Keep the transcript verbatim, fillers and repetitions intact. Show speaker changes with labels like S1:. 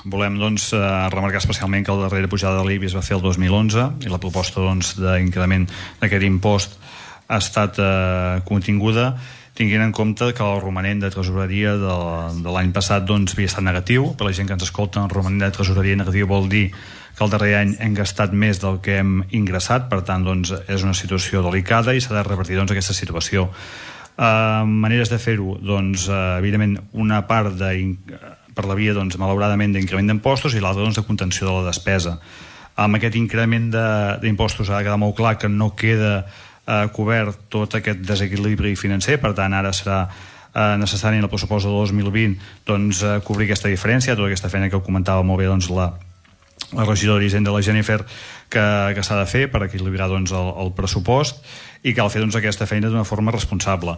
S1: volem doncs, remarcar especialment que la darrera pujada de l'I B I es va fer el dos mil onze i la proposta doncs, d'increment d'aquest impost ha estat eh, continguda tinguent en compte que el romanent de tresoreria de, de l'any passat doncs, havia estat negatiu. Per la gent que ens escolta, el romanent de tresoreria negatiu vol dir que el darrer any hem gastat més del que hem ingressat, per tant doncs, és una situació delicada i s'ha de revertir doncs, aquesta situació. Uh, maneres de fer-ho, doncs, uh, evidentment una part de, per la via doncs, malauradament d'increment d'impostos i l'altra doncs, de contenció de la despesa. Amb aquest increment d'impostos ha de quedar molt clar que no queda Uh, cobert tot aquest desequilibri financer, per tant ara serà uh, necessari en el pressupost del dos mil vint doncs, uh, cobrir aquesta diferència, tota aquesta feina que comentava molt bé doncs, la, la regidora d'Hisenda, la Jennifer, que, que s'ha de fer per equilibrar doncs, el, el pressupost, i cal fer doncs, aquesta feina d'una forma responsable.